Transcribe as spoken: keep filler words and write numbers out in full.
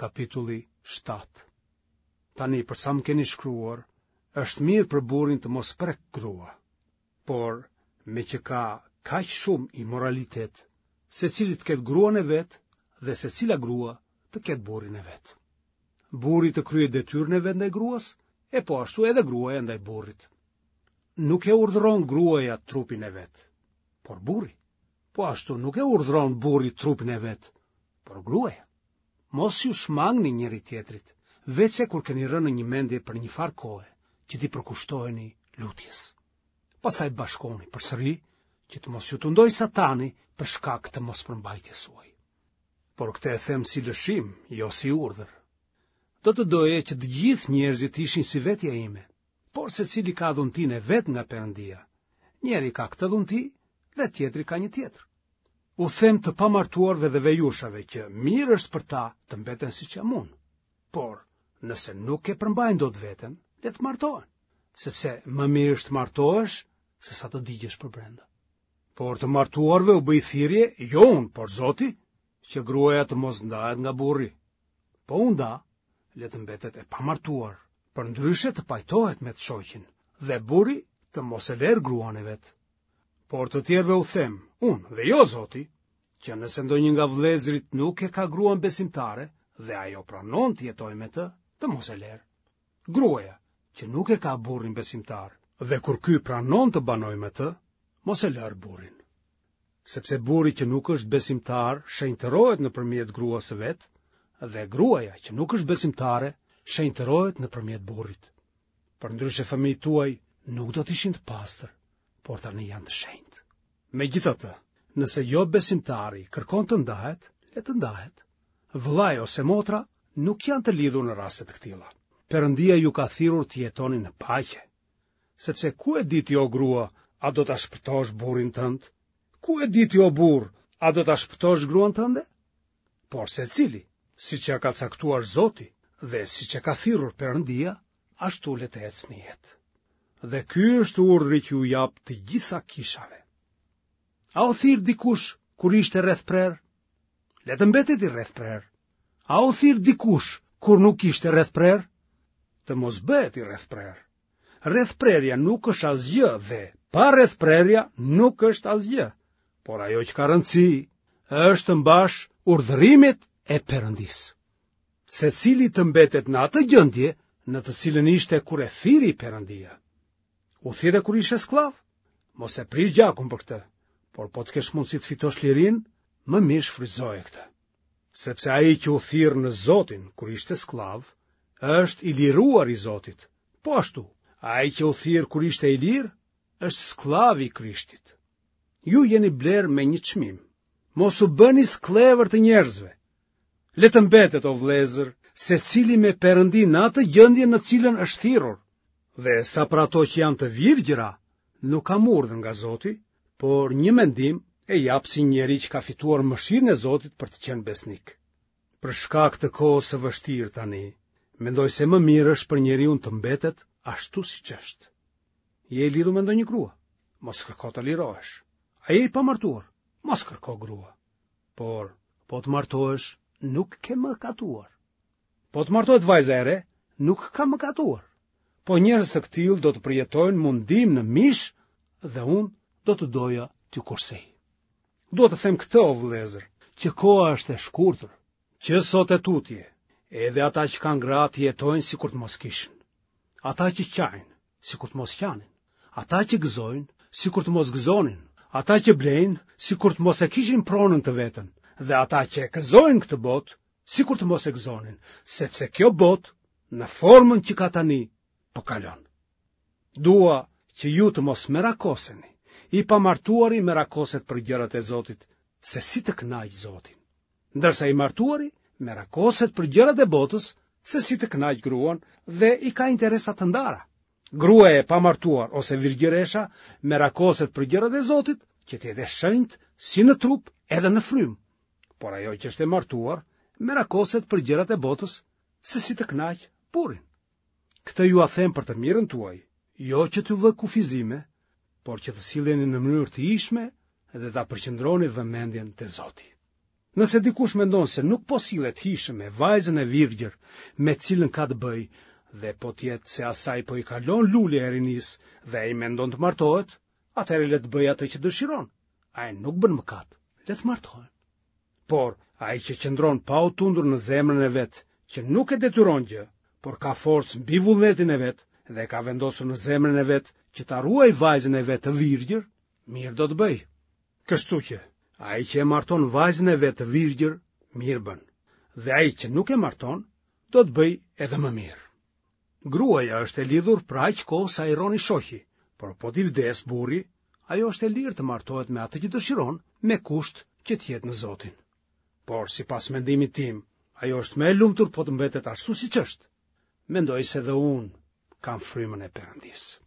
Kapitulli shtatë. Tani për sa më keni shkruar, është mirë për burrin të mos prekë grua. Por, meqë ka kaq shumë imoralitet, secili të ketë gruan e vet dhe secila grua të ketë burrin e vet. Burri të kryejë detyrën e vet ndaj gruas, e po ashtu edhe gruaja ndaj burrit. Nuk e urdhëron gruaja trupin e vet, por burri. Po ashtu nuk e urdhëron burri trupin e vet, por gruaja. Mos iu shmangni njëri-tjetrit, veçse kur keni rënë në një mendje për një farë kohe, që t'i përkushtoheni lutjes. Pastaj bashkohuni përsëri, që të mos ju tundojë Satani për shkak të mospërmbajtjes suaj. Por këtë e them si lëshim, jo si urdhër. Do të doja që të gjithë njerëzit të ishin si vetja ime, por secili ka dhuntinë e vet nga Perëndia. Njëri ka këtë dhunti dhe tjetri ka një tjetër. U them të pamartuarve dhe vejushave që mirë është për ta të mbeten siç jam unë. Por, nëse nuk e përmbajnë dot veten, le të martohen, sepse më mirë është të martohesh se sa të digjesh përbrenda. Por të martuarve u bëj thirrje, jo unë, por Zoti, që gruaja të mos ndahet nga burri. Po u nda, le të mbetet e pamartuar, përndryshe të pajtohet me të shoqin, dhe burri të mos e lerë gruan e vet. Por të tjerëve u them, unë dhe jo Zoti, që nëse ndonjë nga vëllezërit nuk e ka gruan besimtare dhe ajo pranon të jetojë me të, të mos e lerë. Gruaja që nuk e ka burrin besimtar dhe kur ky pranon të banojë me të, mos e lërë burrin. Sepse burri që nuk është besimtar shenjtërohet nëpërmjet gruas së vet dhe gruaja që nuk është besimtare shenjtërohet nëpërmjet burrit. Përndryshe fëmijët tuaj nuk do të ishin të pastër, por tani janë të shenjtë. Megjithatë, nëse jo besimtari kërkon të ndahet, le të ndahet. Vëllai ose motra nuk janë të lidhur në raste të këtilla. Perëndia ju ka thirrur të jetoni në paqe. Sepse ku e di ti o grua, a do ta shpëtosh burrin tënd? Ku e di ti o burrë, a do ta shpëtosh gruan tënde? Por secili, siç ia ka caktuar Zoti dhe siç e ka thirrur Perëndia, ashtu le të ecë në jetë. Dhe ky është urdhri që u jap të gjitha kishave. A u thirr dikush kur ishte rrethprerë? Le të mbetet i rrethprerë. A u thirr dikush kur nuk ishte rrethprerë? Të mos bëhet i rrethprerë. Rrethprerja nuk është asgjë dhe pa rrethprerja nuk është asgjë. Por ajo që ka rëndësi është të mbash urdhërimet e Perëndisë. Secili të mbetet në atë gjendje në të cilën ishte kur e thirri Perëndia. U thirre kur ishe skllav? Mos e prish gjakun për këtë, por po të kesh mundësi të fitosh lirinë, më mirë shfrytëzoje këtë. Sepse ai që u thirr në Zotin kur ishte skllav, është i liruar i Zotit. Po ashtu, ai që u thirr kur ishte i lirë, është skllav i Krishtit. Ju jeni blerë me një çmim. Mos u bëni skllevër të njerëzve. Le të mbetet, o vëllezër, secili me Perëndinë në atë gjendje në të cilën është thirrur. Dhe sa për ato që janë të virgjëra, nuk kam urdhër nga Zoti, por një mendim e jap si njeri që ka fituar mëshirën e Zotit për të qenë besnik. Për shkak të kohës së vështirë tani, mendoj se më mirë është për njeriun të mbetet ashtu siç është. Je i lidhur me ndonjë grua? Mos kërko të lirohesh. A je i pamartuar? Mos kërko grua. Por, po të martohesh, nuk ke mëkatuar. Po të martohet vajza e re, nuk ka mëkatuar. Po njerëz të këtillë do të përjetojnë mundim në mish dhe unë do të doja t'ju kursej. Dua të them këtë, o vëllezër, që koha është e shkurtër, që sot e tutje, edhe ata që kanë gra të jetojnë sikur të mos kishin. Ata që qajnë, sikur të mos qanin. Ata që gëzojnë, sikur të mos gëzonin. Ata që blejnë, sikur të mos e kishin pronën të vetën. Dhe ata që e gëzojnë këtë botë, sikur të mos e gëzonin, sepse kjo botë, në formën që ka tani, po kalon. Dua që ju të mos merakoseni. I pamartuari merakoset për gjërat e Zotit, se si të kënaqë Zotin. Ndërsa i martuari merakoset për gjërat e botës, se si të kënaqë gruan dhe i ka interesa të ndara. Gruaja e pamartuar ose virgjëresha merakoset për gjërat e Zotit, që të jetë e shenjtë si në trup edhe në frymë. Por ajo që është e martuar merakoset për gjërat e botës, se si të kënaqë burrin. Këtë jua them për të mirën tuaj, jo që t'ju vë kufizime, por që të silleni në mënyrë të hijshme dhe ta përqendroni vëmendjen te Zoti. Nëse dikush mendon se nuk po sillet hijshëm me vajzën e virgjër me të cilën ka të bëjë dhe po të jetë se asaj po i kalon lulja e rinisë dhe ai mendon të martohet, atëherë le të bëjë atë që dëshiron. Ai nuk bën mëkat, le të martohen. Por ai që qëndron pa u tundur në zemrën e vet, që nuk e detyron gjë, por ka forcë mbi vullnetin e vet dhe e ka vendosur në zemrën e vet që ta ruajë vajzën e vet të virgjër, mirë do të bëjë. Kështu që, ai që e marton vajzën e vet të virgjër, mirë bën, dhe ai që nuk e marton, do të bëjë edhe më mirë. Gruaja është e lidhur për aq kohë sa i rron i shoqi, por po t'i vdesë burri, ajo është e lirë të martohet me atë që dëshiron, me kusht që të jetë në Zotin. Por, sipas mendimit tim, ajo është më e lumtur po të mbetet ashtu siç është. Mendoj se dhe unë kam frymën e Perëndisë.